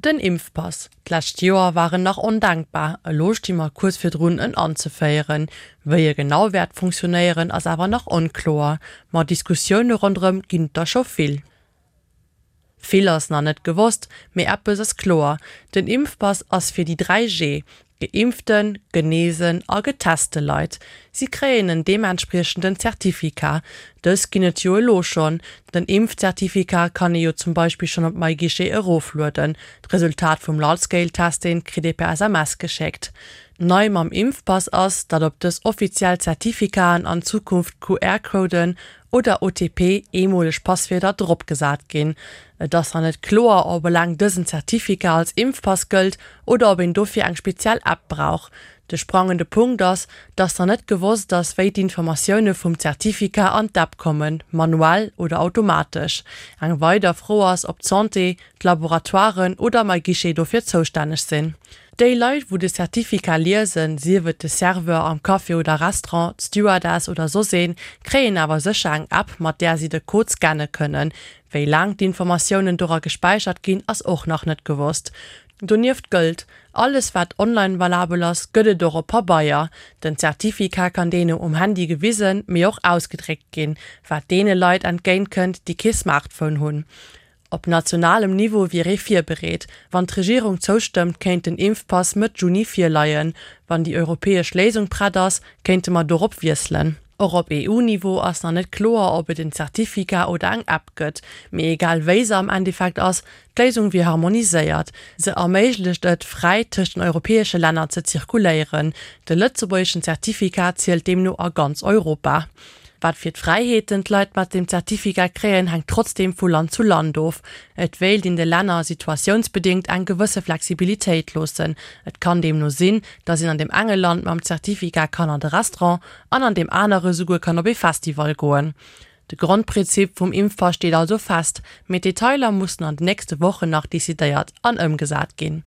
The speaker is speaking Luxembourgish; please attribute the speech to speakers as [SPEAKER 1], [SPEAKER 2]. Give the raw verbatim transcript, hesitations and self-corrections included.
[SPEAKER 1] Den Impfpass. D'lescht Joer war en nach ondenkbar, elo sti mer kuerz virdrun en anzeféieren. Wéi e genau wäert funktionéieren, ass awer nach onkloer, ma Diskussioune ronderëm ginn et der scho vill. Vill ass nach net gewosst, mee eppes ass kloer, Den Impfpass ass fir déi dräi G, geimpften, genesen a geteste Leit. Si kréien en deementspriechenden Zertifikat. Dës ginn et jo elo schonn. Den Impfzertifikat kann ee jo zum Beispill schonn op MyGuichet eroflueden. D'Resultat vum Large-Scale-Testing kritt ee per S M S geschéckt. Nei mam Impfpass ass, datt op dës offiziell Zertifikaten an Zukunft Q R-Coden oder O T P, eemoleg Passwierder, dropgesat ginn. Et ass nach net kloer, ob eleng dësen Zertifikat als Impfpass gëllt oder ob een dofir eng speziell App brauch. De sprangende Punkt ass, datt nach net gewosst ass, wéi d'Informatioune vum Zertifikat an d'App kommen, manuell oder automatesch. Eng weider Fro ass, ob d'Santé, d'Laboratoiren oder MyGuichet dofir zoustänneg sinn. Déi Leit, wou de Zertifikat liesen, sief et de Serveur am Café oder Restaurant, d'Stewardess oder soss een, kréien awer sécher eng App, mat där si de Code scanne kënnen. Wéi laang d'Informatiounen dora gespäichert ginn, ass och nach net gewosst. Donieft gëllt, alles wat online valabel ass, gëtt et och op Pabeier. Den Zertifikat kann deene um Handy gewisen, mee och ausgedréckt ginn, wat deene Leit entgéintkënnt, déi kee Smartphone hunn. Op nationalem Niveau wier ee virbereet. Wann d'Regierung zoustëmmt, kéint den Impfpass Mëtt Juni virleien. Wann déi europäesch Léisung prett ass, kéinte mer dorop wiesselen. Och op E U-Niveau ass nach net kloer, ob et en Zertifikat oder eng App gëtt. Mee egal wéi se am Endeffekt ass, d'Léisung wier harmoniséiert. Se erméiglecht et, fräi tëscht den europäesche Länner ze zirkuléieren. De lëtzebuergeschen Zertifikat zielt deemno a ganz Europa. Wat fir d'Fräiheeten d'Leit mat dem Zertifikat kréien, hänkt trotzdeem vu Land zu Land of. Et wéilt in de Länner situatiounsbedéngt eng gewësse Flexibilitéit loossen. Et kann deemno sinn, datt een an deem enge Land mam Zertifikat kann an de Restaurant an an deem anere souguer kann op ee Festival goen. De Grondprinzip vum Impfpass steet also fest, mee d'Detailer mussen an den nächste Wochen nach decidéiert an ëmgesat ginn.